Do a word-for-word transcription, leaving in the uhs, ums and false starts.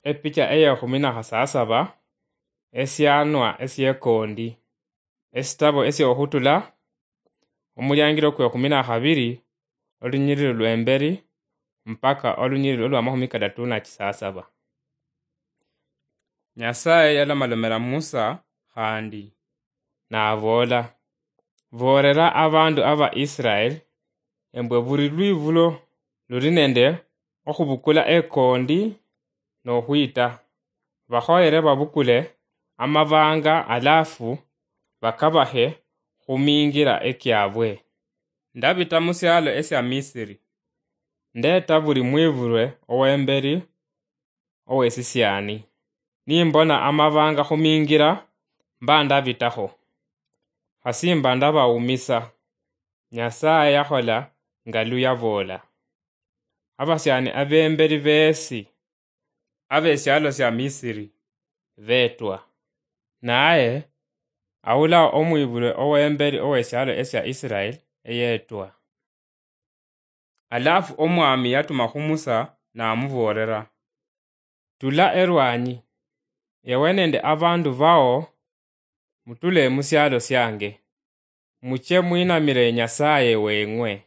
Epicha eyekhumi na khasasaba, esianwa esiekondi, esitabo esiokhutula, omuliangiro kwekhumi na khabiri, olunyiriri lwemberi mpaka olunyiriri olwamakhumi kadatu na chisasaba. Nyasaye yalomalomera Musa khandi, naboola, "Boolera abandu aba Israel, embwe buli lwibulo luli nende okhubukula ekondi nokhwita, bakhoyere babukule amabanga alafu bakabahe khumingira ekiabwe. Ndabita musialo esia Misiri, ndeta buli mwibulwe owemberi owesisiani. Nimbona amabanga khumingira, mba ndabitakho. Khasi mba ndabawumisa." Nyasaye yakhola nga luyaboola. Abasiani abemberi besi abesialo sia Misiri betwa. Naye awula omwibulwe owemberi owesialo esia Israel eyetwa. Alafu Omwami yatuma khu Musa namuboolera, "Tula erwanyi, ewe nende abandu bao mutule musialo siange, muche mwinamire Nyasaye weng'we.